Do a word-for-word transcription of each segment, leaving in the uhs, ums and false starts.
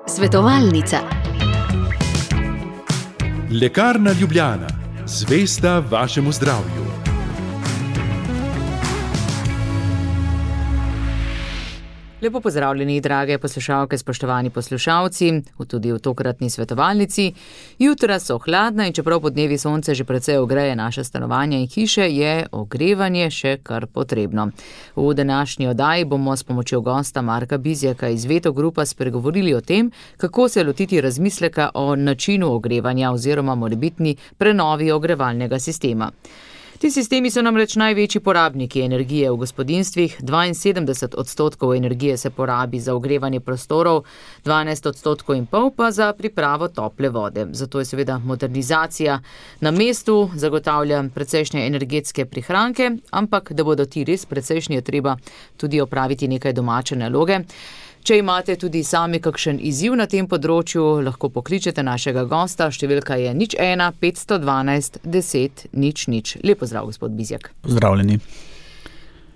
Svetovalnica. Lekarna Ljubljana, zvesta vašemu zdravju. Lepo pozdravljeni, drage poslušalke, spoštovani poslušalci, tudi v tokratni svetovalnici. Jutra so hladna in čeprav podnevi sonce že precej ogreje naše stanovanja in hiše, je ogrevanje še kar potrebno. V današnji oddaji bomo s pomočjo gosta Marka Bizjaka iz Veto Grupa spregovorili o tem, kako se lotiti razmisleka o načinu ogrevanja oziroma morebitni prenovi ogrevalnega sistema. Ti sistemi so namreč največji porabniki energije v gospodinjstvih, dvainsedemdeset odstotkov energije se porabi za ogrevanje prostorov, dvanajst odstotkov in pol pa za pripravo tople vode. Zato je seveda modernizacija na mestu, zagotavlja precejšnje energetske prihranke, ampak da bodo ti res precejšnji, je treba tudi opraviti nekaj domače naloge. Če imate tudi sami kakšen izziv na tem področju, lahko pokličete našega gosta, številka je nič ena petsto dvanajst deset nič nič. Lep pozdrav, gospod Bizjak. Pozdravljeni.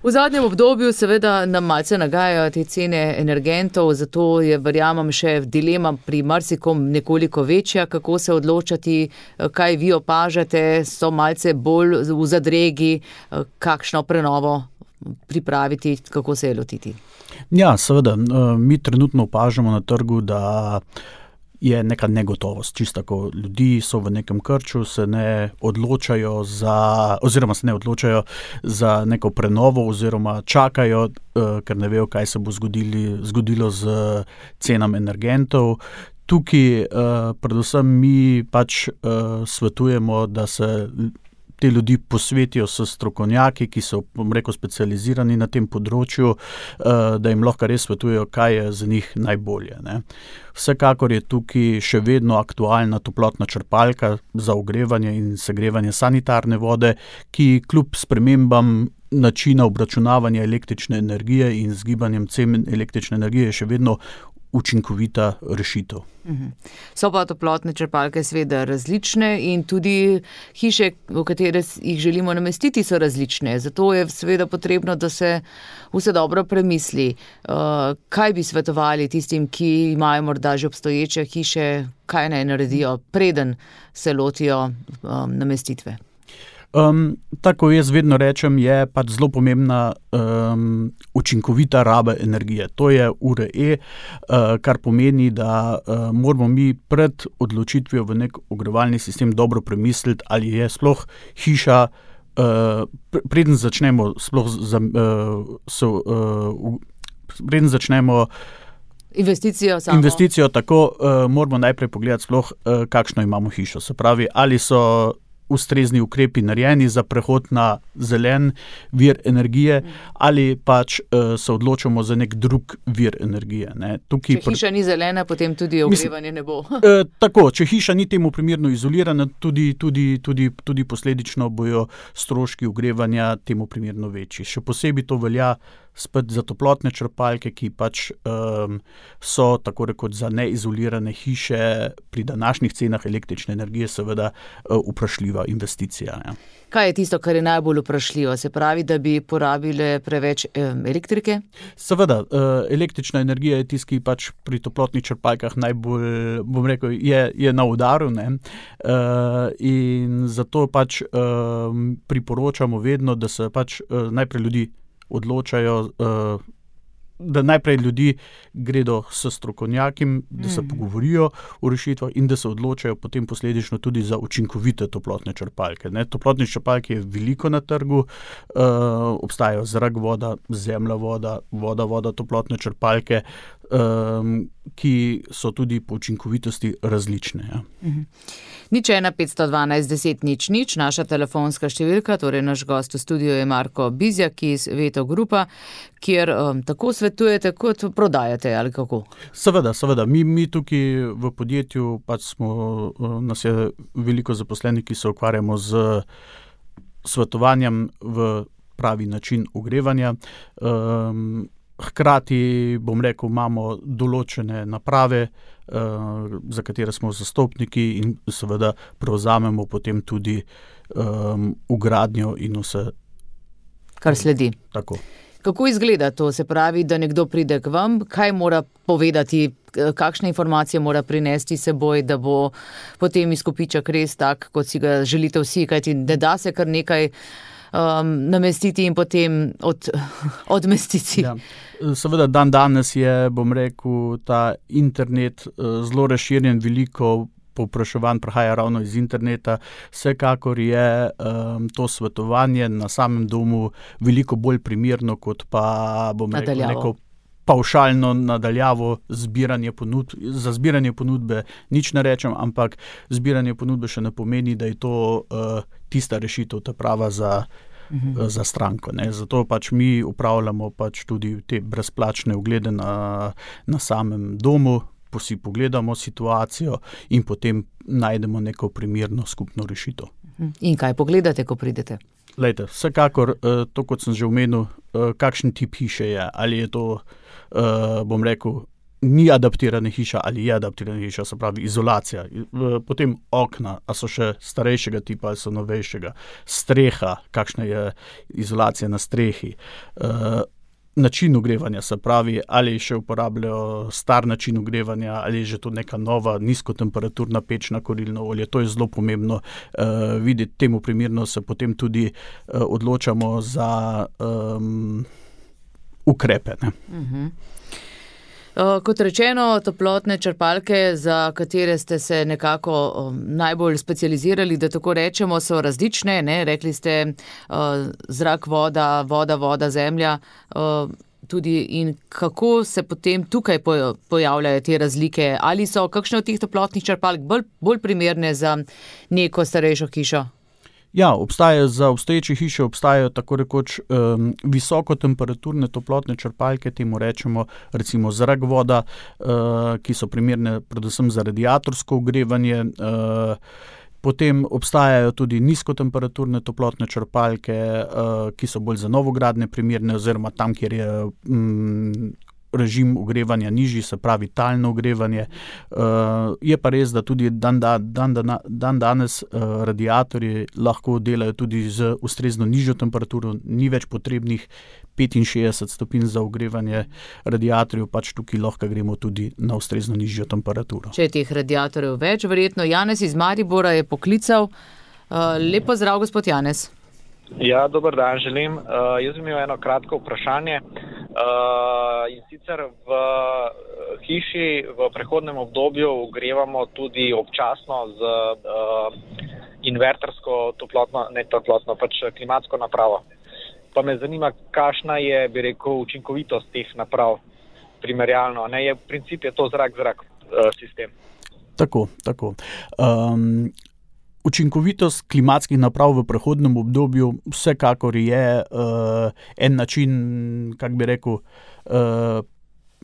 V zadnjem obdobju seveda nam malce nagajajo te cene energentov, zato je, verjamem, še dilema pri marsikom nekoliko večja, kako se odločati, kaj vi opažate, so malce bolj v zadregi, kakšno prenovo pripraviti, kako se je lotiti. Ja, seveda, mi trenutno opažamo na trgu, da je neka negotovost. Čisto tako, ljudi so v nekem krču, se ne odločajo za, oziroma se ne odločajo za neko prenovo, oziroma čakajo, ker ne vejo, kaj se bo zgodili, zgodilo z cenami energentov. Tukaj predvsem mi pač svetujemo, da se te ljudi posvetijo s strokovnjaki, ki so, bom rekel, specializirani na tem področju, da jim lahko res svetujejo, kaj je za njih najbolje, ne. Vsekakor je tukaj še vedno aktualna toplotna črpalka za ogrevanje in segrevanje sanitarne vode, ki kljub spremembam načina obračunavanja električne energije in z gibanjem cen električne energije je še vedno učinkovita rešitev. So pa toplotne črpalke seveda različne in tudi hiše, v katere jih želimo namestiti, so različne. Zato je seveda potrebno, da se vse dobro premisli. Kaj bi svetovali tistim, ki imajo morda že obstoječe hiše, kaj naj naredijo, preden se lotijo namestitve? Um, tako jaz vedno rečem, je pač zelo pomembna um, učinkovita raba energije. To je U R E, uh, kar pomeni, da uh, moramo mi pred odločitvijo v nek ogrevalni sistem dobro premisliti, ali je sploh hiša, uh, preden začnemo sploh za, uh, so, uh, preden začnemo Investicijo samo. Investicijo, tako uh, moramo najprej pogledati sploh, uh, kakšno imamo hišo. Se pravi, ali so ustrezni ukrepi narejeni za prehod na zelen vir energije, ali pač uh, se odločamo za nek drug vir energije. Ne. Tukaj če hiša ni zelena, potem tudi ogrevanje ne bo. uh, tako, če hiša ni temu primerno izolirana, tudi, tudi, tudi, tudi posledično bojo stroški ogrevanja temu primerno večji. Še posebej to velja spet za toplotne črpalke, ki pač um, so tako rekoč za neizolirane hiše pri današnjih cenah električne energije seveda uh, vprašljiva investicija. Ja. Kaj je tisto, kar je najbolj vprašljivo? Se pravi, da bi porabile preveč um, elektrike? Seveda, uh, električna energija je tisti, ki pač pri toplotnih črpalkah najbolj, bom rekel, je, je na udaru, ne. Uh, in zato pač um, priporočamo vedno, da se pač uh, najprej ljudi odločajo, da najprej ljudi gredo s strokovnjakim, da se pogovorijo o rešitvah in da se odločajo potem posledično tudi za učinkovite toplotne črpalke. Ne, toplotne črpalke je veliko na trgu, uh, obstajajo zrak, voda, zemlja, voda, voda, voda, toplotne črpalke, um, ki so tudi po učinkovitosti različne. Ja. Mhm. Nič ena petsto dvanajst deset nič nič, naša telefonska številka, torej naš gost v studiu je Marko Bizjak iz Veto Grupa, kjer um, tako svetujete kot prodajate, ali kako? Seveda, seveda. Mi, mi tukaj v podjetju pač smo, nas je veliko zaposlenih, ki se ukvarjamo z svetovanjem v pravi način ogrevanja. Um, Hkrati, bom rekel, imamo določene naprave, uh, za katere smo zastopniki in seveda prevzamemo potem tudi um, vgradnjo in vse. Kar sledi. Tako. Kako izgleda to? Se pravi, da nekdo pride k vam, kaj mora povedati, kakšne informacije mora prinesti seboj, da bo potem izkupiček res tak, kot si ga želite vsi, kajti ne da se kar nekaj um, namestiti in potem od, odmestiti. Ja. Seveda dan danes je, bom rekel, ta internet zelo razširjen, veliko povpraševanj prihaja ravno iz interneta. Vsekakor je um, to svetovanje na samem domu veliko bolj primerno, kot pa, bom rekel, neko pavšalno nadaljavo zbiranje ponudb. Za zbiranje ponudbe nič ne rečem, ampak zbiranje ponudbe še ne pomeni, da je to uh, tista rešitev, ta prava za Uhum. za stranko. Ne. Zato pač mi upravljamo pač tudi te brezplačne oglede na, na samem domu, si pogledamo situacijo in potem najdemo neko primerno skupno rešitev. In kaj pogledate, ko pridete? Lejte, vsekakor, to kot sem že omenil, kakšen tip hiše je, ali je to, bom rekel, ni adaptirana hiša ali je adaptirana hiša, se pravi izolacija. Potem okna, a so še starejšega tipa ali so novejšega. Streha, kakšna je izolacija na strehi. Način ogrevanja, se pravi, ali še uporabljajo star način ogrevanja, ali je že to neka nova nizkotemperaturna peč na kurilno olje. To je zelo pomembno uh, videti. Temu primerno se potem tudi uh, odločamo za um, ukrepe. Ne? Uh-huh. Uh, kot rečeno, toplotne črpalke, za katere ste se nekako um, najbolj specializirali, da tako rečemo, so različne, ne? Rekli ste uh, zrak, voda, voda, voda, zemlja, uh, tudi in kako se potem tukaj pojavljajo te razlike? Ali so kakšne od teh toplotnih črpalk bolj, bolj primerne za neko starejšo hišo? Ja, obstajajo za obstoječe hiše, obstajajo tako rekoč um, visokotemperaturne toplotne črpalke, temu rečemo recimo zrak, voda, uh, ki so primerne predvsem za radiatorsko ogrevanje. Uh, potem obstajajo tudi nizkotemperaturne toplotne črpalke, uh, ki so bolj za novogradnje primerne oziroma tam, kjer je um, režim ogrevanja nižji, se pravi talno ogrevanje. Uh, je pa res, da tudi dan, dan, dan, dan danes uh, radiatorji lahko delajo tudi z ustrezno nižjo temperaturo, ni več potrebnih petinšestdeset stopinj za ogrevanje radiatorjev, pač tukaj lahko gremo tudi na ustrezno nižjo temperaturo. Če je teh radiatorjev več, verjetno. Janez iz Maribora je poklical. Uh, lep pozdrav, gospod Janez. Ja, dober dan želim. Uh, jaz bi imel eno kratko vprašanje. Uh, in sicer v hiši v prehodnem obdobju ogrevamo tudi občasno z uh, invertersko toplotno, ne toplotno, pač klimatsko napravo. Pa me zanima, kakšna je, bi rekel, učinkovitost teh naprav primerjalno. Ne, je, v princip je to zrak-zrak uh, sistem. Tako, tako. Um, Učinkovitost klimatskih naprav v prehodnem obdobju vsekakor je uh, en način, kako bi rekel, uh,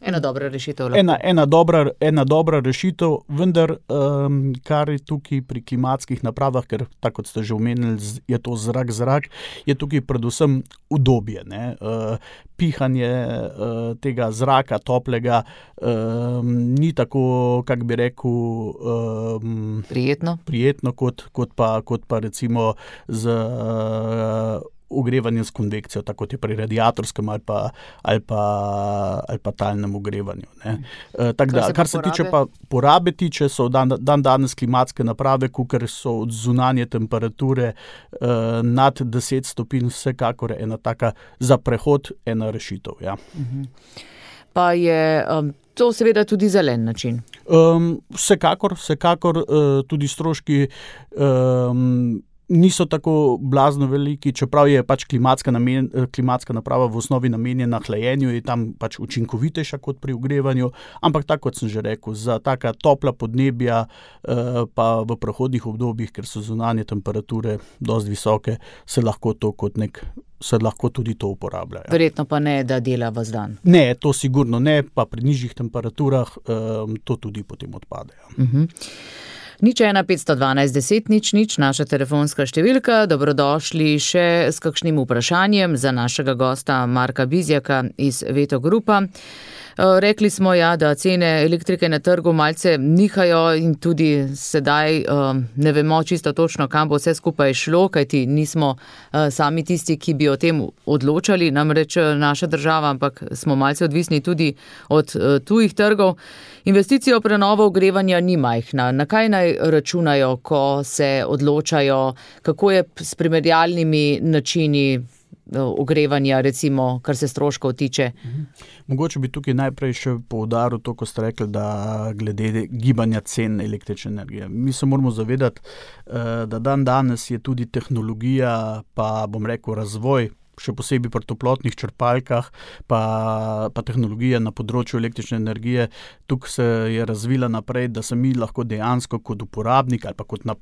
ena dobra rešitev. Ena, ena, dobra, ena dobra rešitev, vendar um, kar je tukaj pri klimatskih napravah, ker tako kot ste že omenili, je to zrak-zrak, je tukaj predvsem udobje. Ne? Uh, pihanje uh, tega zraka, toplega, um, ni tako, kako bi rekel, um, prijetno, prijetno kot, kot, pa, kot pa recimo z uh, ogrevanje s konvekcijo, tako je pri radiatorskem ali pa, ali pa, ali pa talnem ogrevanju. Ne. E, tak da, kar se porabe? tiče pa porabe tiče, so dan, dan danes klimatske naprave, kukor so od zunanje temperature e, nad deset stopinj, vsekakor ena taka za prehod, ena rešitev. Ja. Pa je um, to seveda tudi zelen način? Um, vsekakor, vsekakor uh, tudi stroški um, niso tako blazno veliki, čeprav je pač klimatska, namen, klimatska naprava v osnovi namenjena hlajenju, je tam pač učinkovitejša kot pri ogrevanju, ampak tako kot sem že rekel, za taka topla podnebja eh, pa v prehodnih obdobjih, ker so zunanje temperature dosti visoke, se lahko to kot nek se lahko tudi to uporabljajo. Verjetno pa ne, da dela vas dan. Ne, to sigurno ne, pa pri nižjih temperaturah um, to tudi potem odpadejo. Uh-huh. Nič ena petsto dvanajst deset nič nič, naša telefonska številka. Dobrodošli še s kakšnim vprašanjem za našega gosta Marka Bizjaka iz Veto Grupa. Rekli smo, ja, da cene elektrike na trgu malce nihajo in tudi sedaj ne vemo čisto točno, kam bo vse skupaj šlo, kajti nismo sami tisti, ki bi o tem odločali, namreč naša država, ampak smo malce odvisni tudi od tujih trgov. Investicija v prenovo ogrevanja ni majhna. Na kaj naj računajo, ko se odločajo, kako je s primerjalnimi načini ogrevanja, recimo, kar se stroškov tiče? Mogoče bi tukaj najprej še poudaril to, ko ste rekli, da glede gibanja cen električne energije. Mi se moramo zavedati, da dan danes je tudi tehnologija, pa bom rekel razvoj, še posebej pri toplotnih črpalkah, pa, pa tehnologija na področju električne energije, tukaj se je razvila naprej, da se mi lahko dejansko kot uporabnik ali pa kot na,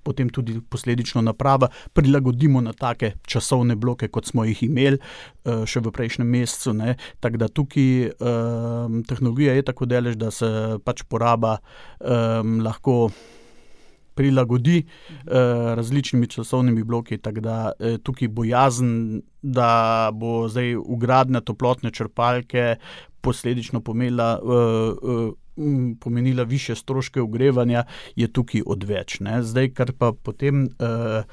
potem tudi posledično naprava prilagodimo na take časovne bloke, kot smo jih imeli še v prejšnjem mesecu. Ne. Tako da tukaj um, tehnologija je tako delež, da se pač poraba um, lahko prilagodi eh, različnimi časovnimi bloki, tako da eh, tukaj bojazen, da bo zdaj vgradnja toplotne črpalke posledično pomenila, eh, eh, pomenila više stroške ogrevanja, je tukaj odveč. Ne. Zdaj, kar pa potem eh,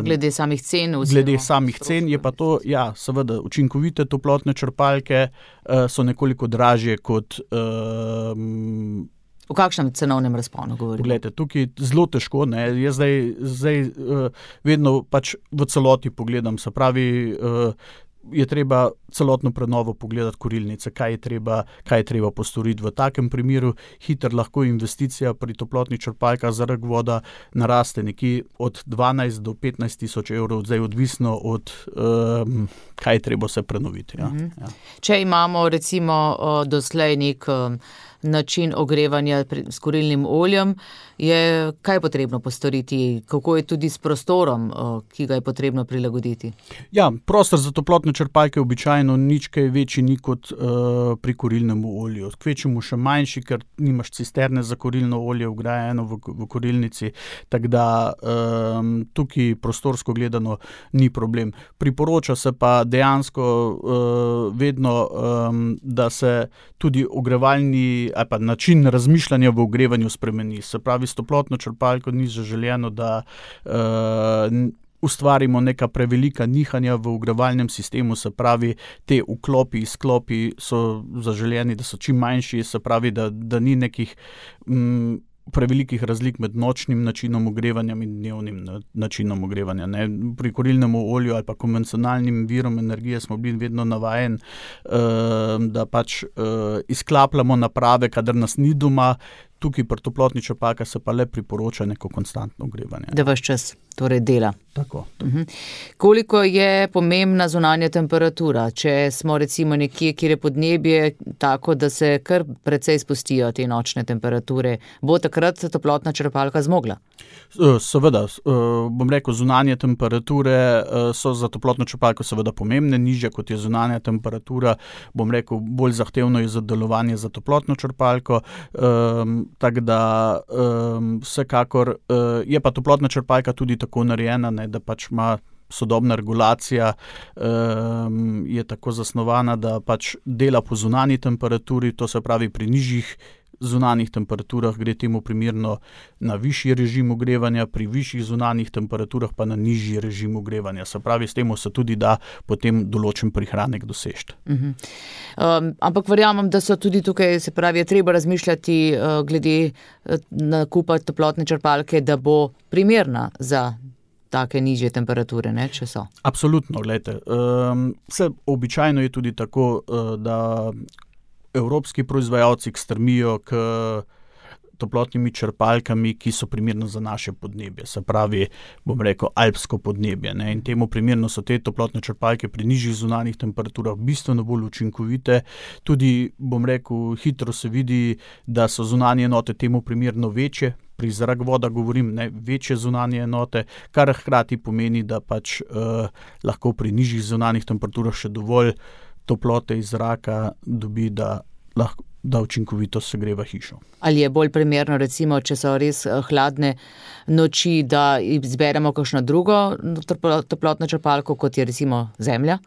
Glede samih cen. Glede samih cen je pa to, ja, seveda, učinkovite toplotne črpalke eh, so nekoliko dražje kot eh, V kakšnem cenovnem razponu govorimo? Poglejte, tukaj zelo težko, ne, jaz zdaj, zdaj uh, vedno pač v celoti pogledam, se pravi, uh, je treba celotno prenovo pogledati kurilnice, kaj je treba, kaj je treba postoriti. V takem primeru hitro lahko investicija pri toplotnih črpalkah za rak voda naraste nekje od dvanajst do petnajst tisoč evrov, zdaj odvisno od um, kaj je treba se prenoviti. Ja. Mhm. Ja. Če imamo recimo uh, doslej nek um, način ogrevanja s kurilnim oljem, je kaj potrebno postoriti? Kako je tudi s prostorom, ki ga je potrebno prilagoditi? Ja, prostor za toplotne črpalke običajno nič kaj večji ni kot uh, pri kurilnem olju. Kvečemu še manjši, ker nimaš cisterne za kurilno olje vgrajeno v, v kurilnici, tako da um, tukaj prostorsko gledano ni problem. Priporoča se pa dejansko uh, vedno, um, da se tudi ogrevalni ali pa način razmišljanja v ogrevanju spremeni. Se pravi, s toplotno črpalko ni zaželjeno, da uh, ustvarimo neka prevelika nihanja v ogrevalnem sistemu, se pravi, te vklopi, izklopi so zaželjeni, da so čim manjši, se pravi, da, da ni nekih um, prevelikih razlik med nočnim načinom ogrevanja in dnevnim načinom ogrevanja. Ne. Pri kurilnem olju ali pa konvencionalnim virom energije smo bili vedno navajeni, uh, da pač uh, izklapljamo naprave, kadar nas ni doma. Tukaj pri toplotni črpalki se pa le priporoča neko konstantno ogrevanje. Da vaš čas torej dela. Tako. Uh-huh. Koliko je pomembna zunanja temperatura? Če smo recimo nekje, kjer je podnebje tako, da se kar precej spustijo te nočne temperature, bo takrat toplotna črpalka zmogla? Seveda, bom rekel, zunanje temperature so za toplotno črpalko seveda pomembne, nižja kot je zunanja temperatura, bom rekel, bolj zahtevno je za delovanje za toplotno črpalko, um, tako da um, vsekakor uh, je pa toplotna črpalka tudi tako narejena, ne, da pač ima sodobna regulacija, um, je tako zasnovana, da pač dela po zunanji temperaturi, to se pravi pri nižjih zunanjih temperaturah gre temu primerno na višji režim ogrevanja, pri višjih zunanjih temperaturah pa na nižji režim ogrevanja. Se pravi, s tem se tudi da potem določen prihranek doseči. Uh-huh. Um, ampak verjamem, da so tudi tukaj, se pravi, je treba razmišljati uh, glede uh, nakupa toplotne črpalke, da bo primerna za take nižje temperature, ne, če so. Absolutno, glejte. Um, vse običajno je tudi tako, uh, da evropski proizvajalci strmijo k toplotnimi črpalkami, ki so primerno za naše podnebje. Se pravi, bom rekel, alpsko podnebje. Ne? In temu primerno so te toplotne črpalke pri nižjih zunanjih temperaturah bistveno bolj učinkovite. Tudi, bom rekel, hitro se vidi, da so zunanje enote temu primerno večje. Pri zrak voda govorim, ne, večje zunanje enote, kar hkrati pomeni, da pač eh, lahko pri nižjih zunanjih temperaturah še dovolj toplote iz zraka dobi, da lahko da učinkovito segreva hišo. Ali je bolj primerno, recimo, če so res hladne noči, da izberemo kakšno drugo toplotno črpalko, kot je recimo zemlja?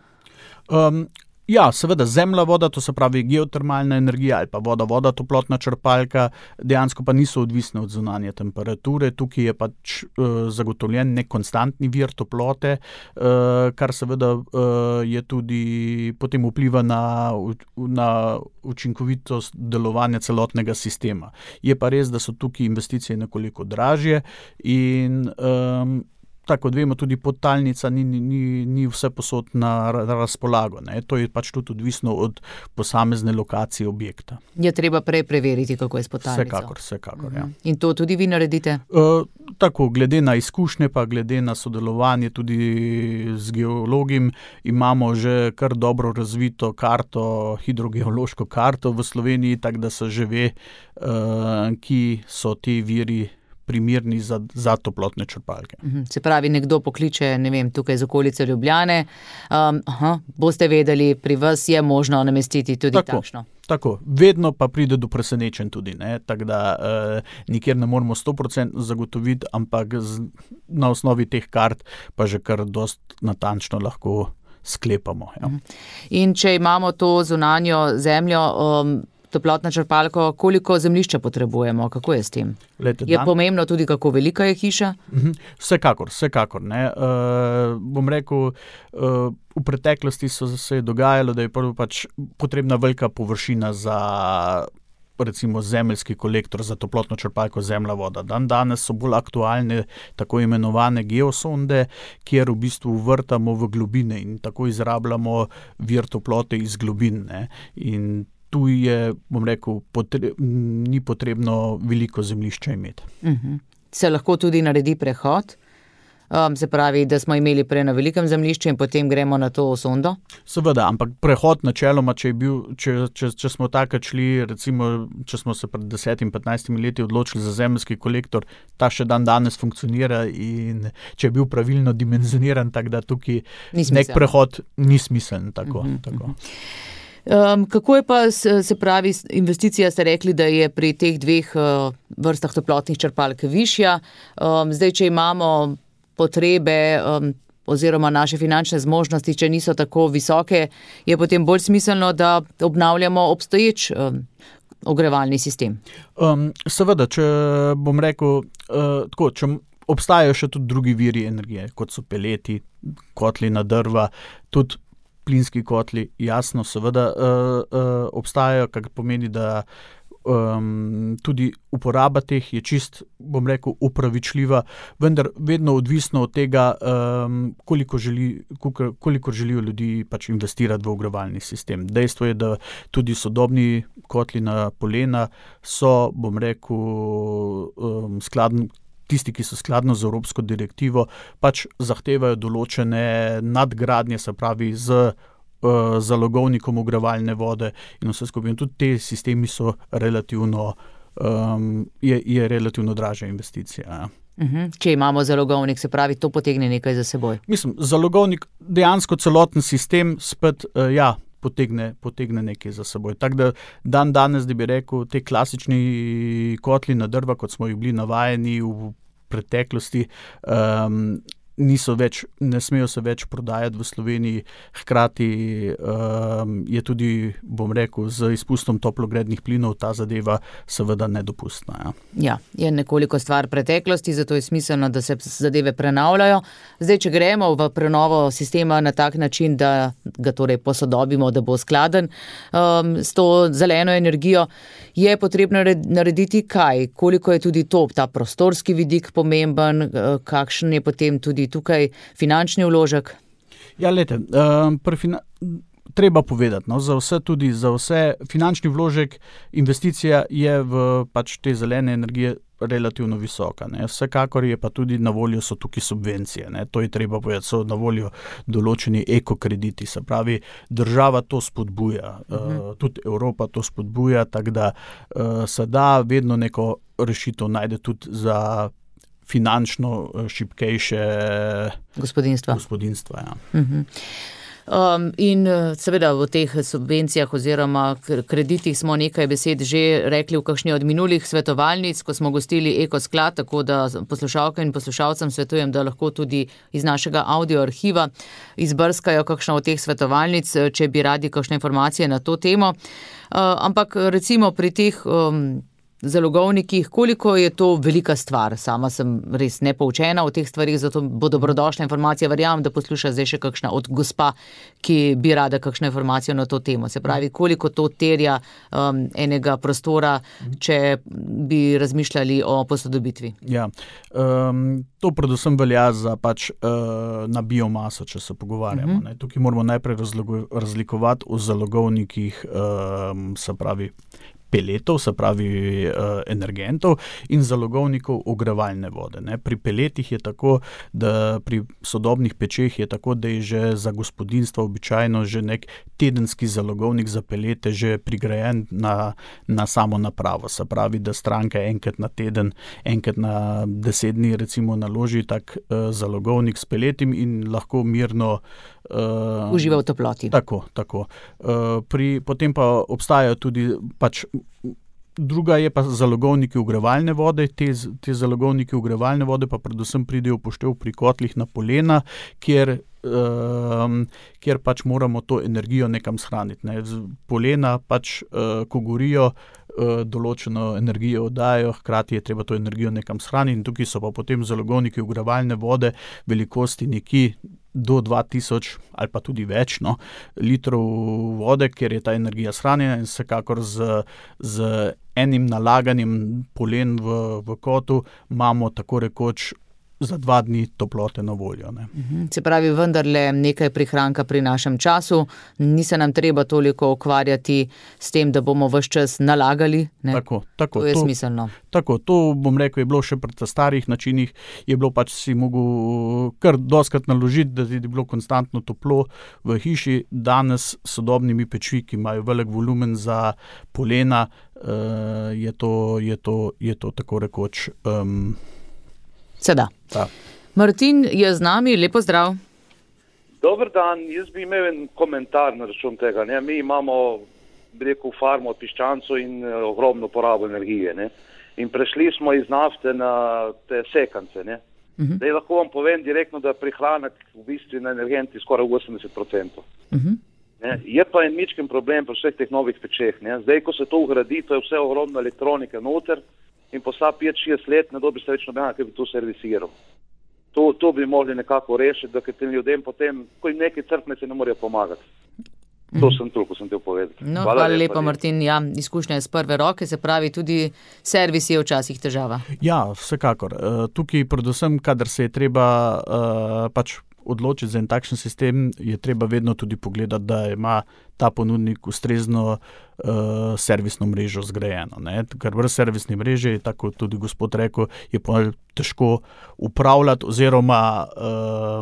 Um, Ja, seveda zemlja, voda, to se pravi geotermalna energija ali pa voda, voda, toplotna črpalka, dejansko pa niso odvisne od zunanje temperature. Tukaj je pač uh, zagotovljen nek konstantni vir toplote, uh, kar seveda uh, je tudi potem vpliva na, na učinkovitost delovanja celotnega sistema. Je pa res, da so tukaj investicije nekoliko dražje in um, tako kot vemo, tudi podtalnica ni, ni, ni vse posod na, na razpolago. Ne. To je pač tudi odvisno od posamezne lokacije objekta. Je treba prej preveriti, kako je s podtalnico. Vsekakor, vsekakor, mhm. ja. In to tudi vi naredite? Uh, tako, glede na izkušnje, pa glede na sodelovanje tudi z geologim, imamo že kar dobro razvito karto, hidrogeološko karto v Sloveniji, tako da se že ve, uh, ki so ti viri primerni za, za toplotne črpalke. Se pravi, nekdo pokliče, ne vem, tukaj z okolice Ljubljane, um, aha, boste vedeli, pri vas je možno namestiti tudi tako, takšno. Tako, vedno pa pride do presenečenj tudi, ne, tako da eh, nikjer ne moramo sto procentno zagotoviti, ampak z, na osnovi teh kart pa že kar dost natančno lahko sklepamo. Ja. In če imamo to zunanjo zemljo, um, toplotna črpalko, koliko zemljišča potrebujemo, kako je s tem? Lete, je dan? pomembno tudi, kako velika je hiša? Uh-huh. Vsekakor, vsekakor. Ne. Uh, bom rekel, uh, v preteklosti so se dogajalo, da je prvo pač potrebna velika površina za recimo zemeljski kolektor za toplotno črpalko zemlja, voda. Dan danes so bolj aktualne tako imenovane geosonde, kjer v bistvu vrtamo v globine in tako izrabljamo vir toplote iz globin. Ne. In tu je, bom rekel, potre, ni potrebno veliko zemljišča imeti. Uh-huh. Se lahko tudi naredi prehod? Um, se pravi, da smo imeli prej na velikem zemljišču in potem gremo na to sondo? Seveda, ampak prehod načeloma, če, je bil, če, če, če smo takrat šli, recimo, če smo se pred desetim, petnajstimi leti odločili za zemeljski kolektor, ta še dan danes funkcionira in če je bil pravilno dimenzioniran, tako da tukaj nek prehod ni smiseln. Tako, uh-huh. tako. Um, kako je pa, se pravi, investicija, ste rekli, da je pri teh dveh uh, vrstah toplotnih črpalk višja. Um, zdaj, če imamo potrebe um, oziroma naše finančne zmožnosti, če niso tako visoke, je potem bolj smiselno, da obnavljamo obstoječ um, ogrevalni sistem. Um, seveda, če bom rekel, uh, tako, če obstajajo še tudi drugi viri energije, kot so peleti, kotli na drva, tudi plinski kotli, jasno, seveda uh, uh, obstajajo, kar pomeni, da um, tudi uporaba teh je čist, bom rekel, upravičljiva, vendar vedno odvisno od tega, um, koliko, želi, koliko, koliko želijo ljudi pač investirati v ogrevalni sistem. Dejstvo je, da tudi sodobni kotli na polena so, bom rekel, um, skladni, tisti, ki so skladno z evropsko direktivo, pač zahtevajo določene nadgradnje, se pravi z uh, zalogovnikom ogrevalne vode in vse skupaj. In tudi te sistemi so relativno, um, je, je relativno dražja investicija. Ja. Uh-huh. Če imamo zalogovnik, se pravi, to potegne nekaj za seboj. Mislim, zalogovnik, dejansko celoten sistem spet, uh, ja, Potegne, potegne nekaj za seboj. Tako da dan danes, da bi rekel, te klasični kotli na drva, kot smo jih bili navajeni v preteklosti, um, niso več, ne smejo se več prodajati v Sloveniji. Hkrati um, je tudi, bom rekel, z izpustom toplogrednih plinov ta zadeva seveda nedopustna. Ja. ja, je nekoliko stvar preteklosti, zato je smiselno, da se zadeve prenavljajo. Zdaj, če gremo v prenovo sistema na tak način, da ga torej posodobimo, da bo skladen um, s to zeleno energijo, je potrebno narediti kaj? Koliko je tudi to, ta prostorski vidik pomemben, kakšen je potem tudi tukaj finančni vložek? Ja, lete, um, fina- treba povedati, no, za vse tudi, za vse finančni vložek, investicija je v pač te zelene energije relativno visoka. Ne. Vsekakor je pa tudi na voljo so tukaj subvencije. Ne. To je treba povedati, so na voljo določeni ekokrediti. Se pravi, država to spodbuja, uh-huh. uh, tudi Evropa to spodbuja, tako da uh, se da vedno neko rešitev najde tudi za finančno šibkejše gospodinstva. gospodinstva ja. uh-huh. Um, in seveda v teh subvencijah oziroma kreditih smo nekaj besed že rekli v kakšni od minulih svetovalnic, ko smo gostili Ekosklad, tako da poslušalke in poslušalcem svetujem, da lahko tudi iz našega audio arhiva izbrskajo kakšno od teh svetovalnic, če bi radi kakšne informacije na to temo. Uh, ampak recimo pri teh um, zalogovnikih, koliko je to velika stvar? Sama sem res nepoučena o teh stvarih, zato bo dobrodošla informacija. Verjamem, da posluša zdaj še kakšna od gospa, ki bi rada kakšno informacijo na to temo. Se pravi, koliko to terja um, enega prostora, če bi razmišljali o posodobitvi? Ja, um, to predvsem velja za pač uh, na biomaso, če se pogovarjamo. Uh-huh. Ne. Tukaj moramo najprej razlikovati o zalogovnikih, um, se pravi, peletov, se pravi uh, energentov in zalogovnikov ogrevalne vode. Ne. Pri peletih je tako, da pri sodobnih pečeh je tako, da je že za gospodinstvo običajno že nek tedenski zalogovnik za pelete že prigrajen na, na samo napravo. Se pravi, da stranka enkrat na teden, enkrat na deset dni recimo naloži tak uh, zalogovnik s peletim in lahko mirno uh, uživa v toploti. Tako, tako. Uh, pri, potem pa obstajajo tudi pač druga je pa zalogovniki ogrevalne vode. Te, te zalogovniki ogrevalne vode pa predvsem pridejo v poštev pri kotlih na polena, kjer, um, kjer pač moramo to energijo nekam shraniti. Ne. Polena pač, uh, ko gorijo, uh, določeno energijo oddajajo, hkrati je treba to energijo nekam shraniti in tukaj so pa potem zalogovniki ogrevalne vode velikosti nekje do dva tisoč ali pa tudi več no, litrov vode, ker je ta energija shranjena in vsekakor z, z enim nalaganjem polen v, v kotu imamo tako rekoč za dva dni toplote na voljo. Ne. Se pravi, vendarle nekaj prihranka pri našem času, ni se nam treba toliko ukvarjati s tem, da bomo ves čas nalagali. Ne? Tako, tako. To je to, smiselno. Tako, to bom rekel, je bilo še pri starih načinih, je bilo pač si mogel kar doskrat naložiti, da je bilo konstantno toplo v hiši. Danes s sodobnimi pečmi, ki imajo velik volumen za polena, uh, je, to, je, to, je to tako rekoč um, Seda. Da. Martin je z nami, lepo zdrav. Dober dan, jaz bi imel en komentar na račun tega. Ne? Mi imamo, bi rekel, farmo od piščancev in uh, ogromno porabo energije. Ne? In prešli smo iz nafte na te sekance. Ne? Uh-huh. Zdaj lahko vam povem direktno, da prihranek v bistvu na energenti skoraj osemdeset procentov. Uh-huh. Ne? Je pa en mičken problem pri vseh teh novih pečeh. Ne? Zdaj, ko se to ugradi, to je vse ogromno elektronike noter, in posa pet šest let ne dobi se več nobena, ki bi to servisiral. To, to bi mogli nekako rešiti, da tem ljudem potem, ko jim neki crkne, se ne morejo pomagati. To sem toliko, sem te povedal. No, hvala, hvala lepa, Martin. Ja, izkušnja je z prve roke, se pravi, tudi servis je včasih težava. Ja, vsekakor. Tukaj predvsem, kadar se je treba uh, pač odločiti za en takšen sistem, je treba vedno tudi pogledati, da ima ta ponudnik ustrezno uh, servisno mrežo zgrajeno. Ne? Ker brez servisne mreže, tako tudi gospod rekel, je pa težko upravljati oziroma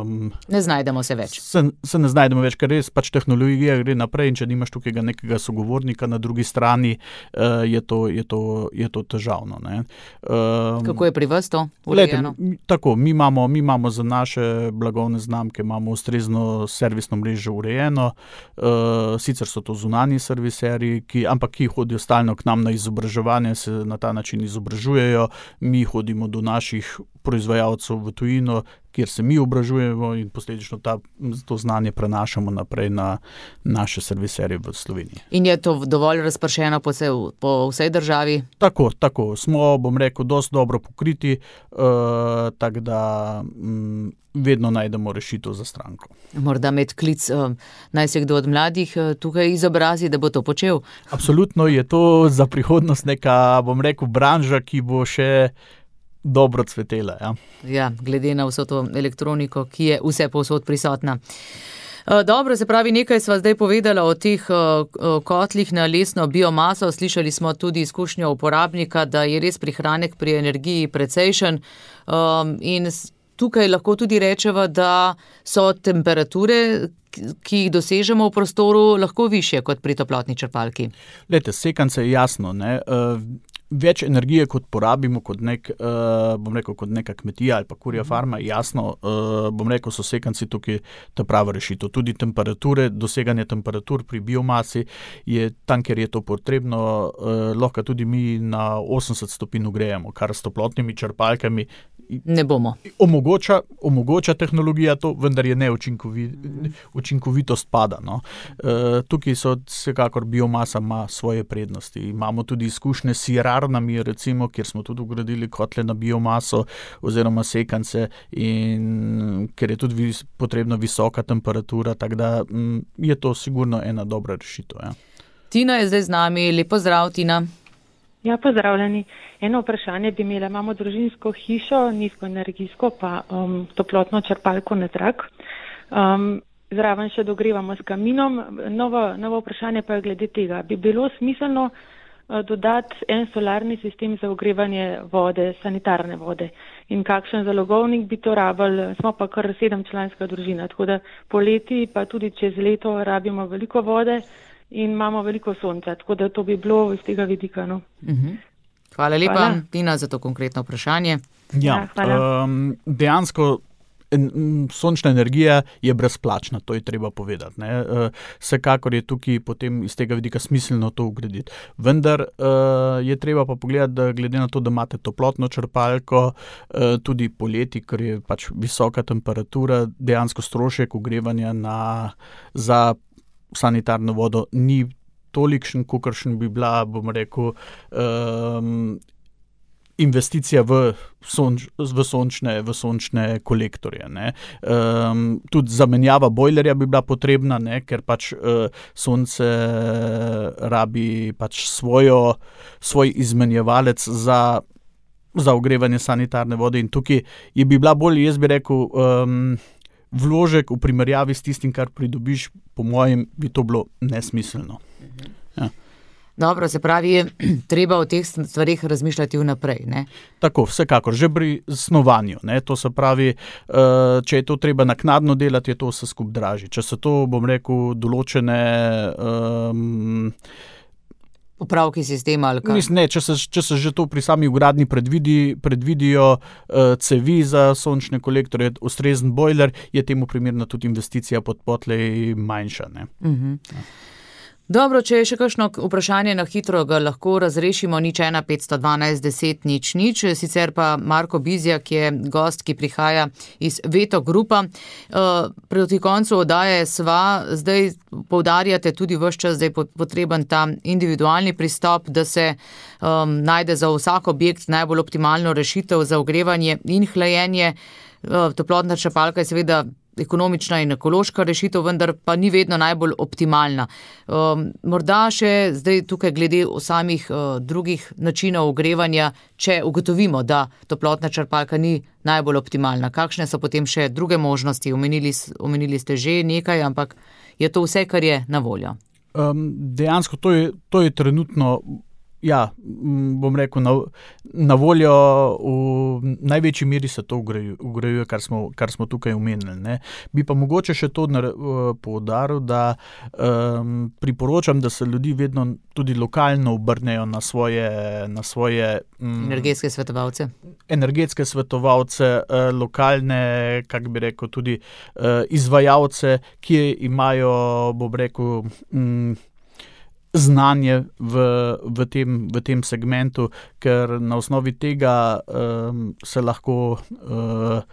um, ne znajdemo se več. Se, se ne znajdemo več, ker res pač tehnologija gre naprej in če nimaš tukaj nekega sogovornika na drugi strani, uh, je, to, je, to, je to težavno. Ne? Um, Kako je pri vas to urejeno? Tako, mi imamo, mi imamo za naše blagovne znamke imamo ustrezno servisno mrežo urejeno, uh, sicer so to zunanji serviserji, ki, ampak ki hodijo stalno k nam na izobraževanje, se na ta način izobražujejo, mi hodimo do naših proizvajalcev v tujino, kjer se mi obražujemo in posledično ta, to znanje prenašamo naprej na naše serviserje v Sloveniji. In je to dovolj razpršeno po, vse, po vsej državi? Tako, tako. Smo, bom rekel, dosti dobro pokriti, uh, tako da um, vedno najdemo rešitev za stranko. Morda med klic, uh, naj se kdo od mladih uh, tukaj izobrazi, da bo to počel? Absolutno je to za prihodnost neka, bom rekel, branža, ki bo še dobro cvetela. Ja. Ja, glede na vso to elektroniko, ki je vse povsod prisotna. Dobro, se pravi, nekaj sva zdaj povedala o teh kotlih na lesno biomaso. Slišali smo tudi izkušnjo uporabnika, da je res prihranek pri energiji precejšen. In tukaj lahko tudi rečeva, da so temperature, ki jih dosežemo v prostoru, lahko višje kot pri toplotni črpalki. Lejte, sekance je jasno, ne. več energije, kot porabimo, kot, nek, uh, bom rekel, kot neka kmetija ali pa kurja farma, jasno, uh, bom rekel, so sekanci tukaj ta prava rešitev. Tudi temperature, doseganje temperatur pri biomasi je tam, kjer je to potrebno, uh, lahko tudi mi na osemdeset stopinj grejemo, kar s toplotnimi črpalkami ne bomo. Omogoča, omogoča tehnologija to, vendar je neučinkovit, učinkovitost pada. No. Uh, tukaj so vsekakor biomasa ima svoje prednosti. Imamo tudi izkušnje s sirarnami, recimo, kjer smo tudi ugradili kotle na biomaso oziroma sekance, in ker je tudi vis, potrebna visoka temperatura, tako da m, je to sigurno ena dobra rešitev. Ja. Tina je zdaj z nami. Lepo zdrav, Tina. Ja, pozdravljeni. Eno vprašanje bi imela. Imamo družinsko hišo, nizkoenergijsko, pa um, toplotno črpalko na trak. Um, zraven še dogrevamo s kaminom. Novo, novo vprašanje pa je glede tega. Bi bilo smiselno uh, dodati en solarni sistem za ogrevanje vode, sanitarne vode? In kakšen zalogovnik bi to rabili? Smo pa kar sedemčlanska družina, tako da poleti pa tudi čez leto rabimo veliko vode in imamo veliko sonca, tako da to bi bilo iz tega vidika. No. Uh-huh. Hvala lepa, hvala. Tina, za to konkretno vprašanje. Ja, ja um, dejansko en, sončna energija je brezplačna, to je treba povedati. Ne? Uh, vsekakor je tukaj potem iz tega vidika smiselno to ugraditi. Vendar uh, je treba pa pogledati, da glede na to, da imate toplotno črpalko, uh, tudi poleti, ker je pač visoka temperatura, dejansko strošek ogrevanja na, za sanitarno vodo ni tolikšen, kolikšen bi bila, bom rekel, um, investicija v, sonč, v, sončne, v sončne kolektorje. Ne. Um, tudi zamenjava bojlerja bi bila potrebna, ne, ker pač uh, sonce rabi pač svojo, svoj izmenjevalec za, za ogrevanje sanitarne vode, in tukaj je bi bila bolj, jaz bi rekel, um, vložek v primerjavi s tistim, kar pridobiš, po mojem, bi to bilo nesmiselno. Ja. Dobro, se pravi, je treba o teh stvarih razmišljati vnaprej, ne? Tako, vsekakor, že pri snovanju, ne, to se pravi, če je to treba naknadno delati, je to vse skup dražje. Če se to, bom rekel, določene um, upravki sistema ali kaj? Mislim, ne, če se, če se že to pri sami ugradnji predvidi, predvidijo uh, cevi za sončne kolektorje, ustrezen bojler, je temu primerna tudi investicija pod potlej manjša. Ne? Uh-huh. Ja. Dobro, če je še kakšno vprašanje na hitro, ga lahko razrešimo. Nič ena petsto dvanajst deset nič nič. Sicer pa Marko Bizjak je gost, ki prihaja iz Veto Grupa. Uh, proti koncu oddaje sva, zdaj poudarjate tudi ves čas, da je potreben ta individualni pristop, da se um, najde za vsak objekt najbolj optimalno rešitev za ogrevanje in hlajenje. Uh, toplotna črpalka je seveda ekonomična in ekološka rešitev, vendar pa ni vedno najbolj optimalna. Um, morda še zdaj tukaj glede samih uh, drugih načinov ogrevanja, če ugotovimo, da toplotna črpalka ni najbolj optimalna. Kakšne so potem še druge možnosti? Omenili, omenili ste že nekaj, ampak je to vse, kar je na voljo? Um, dejansko to je, to je trenutno, ja, bom rekel, na, na voljo, v največji meri se to ugrajuje, kar smo, kar smo tukaj omenili. Ne. Bi pa mogoče še to uh, poudaril, da um, priporočam, da se ljudi vedno tudi lokalno obrnejo na svoje, na svoje um, energetske svetovalce. Energetske svetovalce, uh, lokalne, kako bi rekel, tudi uh, izvajalce, ki imajo, bom rekel, um, znanje v, v, tem, v tem segmentu, ker na osnovi tega um, se lahko, uh,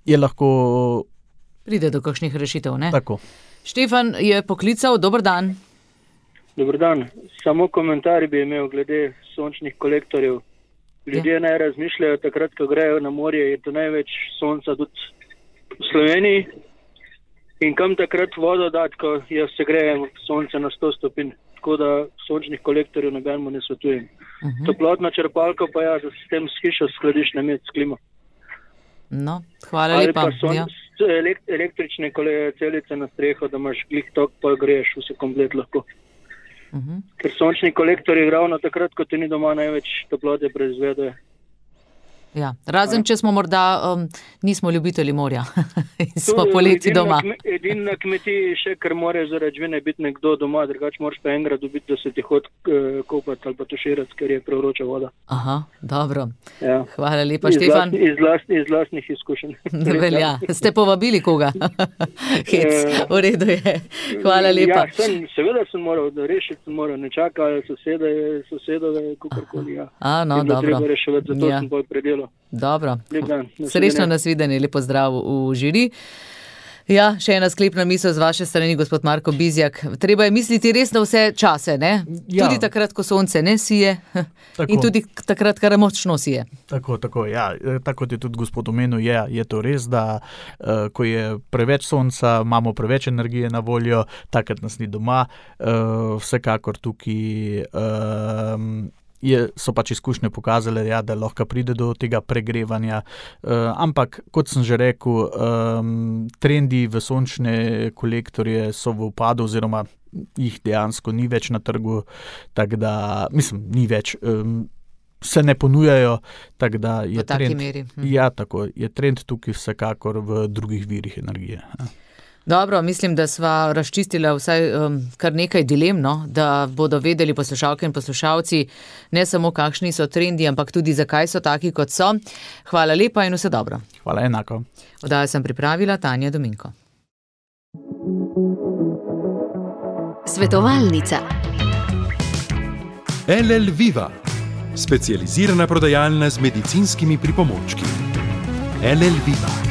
je lahko... Pride do kakšnih rešitev, ne? Tako. Štefan je poklical, dober dan. Dober dan. Samo komentar bi imel glede sončnih kolektorjev. Ljudje ja. naj razmišljajo takrat, ko grejo na morje, je to največ sonca tudi v Sloveniji. In kam takrat vodo dati, ko jo segrejemo sonce na sto stopinj. Tako da sončnih kolektorjev nobenemu ne svetujem. Uh-huh. Toplotna črpalka pa ja, da s tem s hišo skladiš na med s klimo. No, hvala Ali lepa. Ali pa son, ja. električne celice na streho, da imaš glih tok, pa greješ vse komplet lahko. Uh-huh. Ker sončni kolektorji ravno takrat, ko ti ni doma, največ toplote proizvedejo. Ja, razen če smo morda, um, nismo ljubitelji morja in smo poleti doma. Edin na kmetiji še, ker more zaradi žvine biti nekdo doma, drugače moraš pa enkrat dobiti, da se ti hod uh, kopati. čistiti ali pa tuširati, ker je prevroča voda. Aha, dobro. Ja. Hvala lepa, Iz Štefan. lastni- Iz lastni- iz lastnih izkušenj. Velja. Ste povabili koga? Hec, v redu je. Hvala lepa. Ja, sem, seveda sem moral, da rešiti sem moral, ne čakaj sosede, sosedove, kakorkoli. Ja. A, no, Je bilo dobro. treba reševati, zato Ja. sem bolj predelal. Dobro. Lep dan. Srečno nasvidenje, lepo zdrav v žiri. Ja, še ena sklepna misel z vaše strani, gospod Marko Bizjak. Treba je misliti res na vse čase, ne? Ja. Tudi takrat, ko sonce ne sije Tako. in tudi takrat, kar močno sije. Tako, tako, ja. E, Tako kot je tudi gospod omenil, je, je to res, da uh, ko je preveč sonca, imamo preveč energije na voljo, takrat nas ni doma. Uh, vsekakor tukaj um, je, so pač izkušnje pokazale, ja, da lahko pride do tega pregrevanja. Uh, ampak, kot sem že rekel, um, trendi v sončne kolektorje so v upadu oziroma jih dejansko ni več na trgu, tako da, mislim, ni več. Um, se ne ponujajo, tako da je V taki trend, meri. Hm. ja, tako, je trend tukaj vsekakor v drugih virih energije. Dobro, mislim, da sva razčistila vsaj um, kar nekaj dilem, no, da bodo vedeli poslušalke in poslušalci ne samo kakšni so trendi, ampak tudi zakaj so taki, kot so. Hvala lepa in vse dobro. Hvala, enako. Oddajo sem pripravila Tanja Dominko. Svetovalnica. L L Viva, specializirana prodajalna z medicinskimi pripomočki. L L Viva.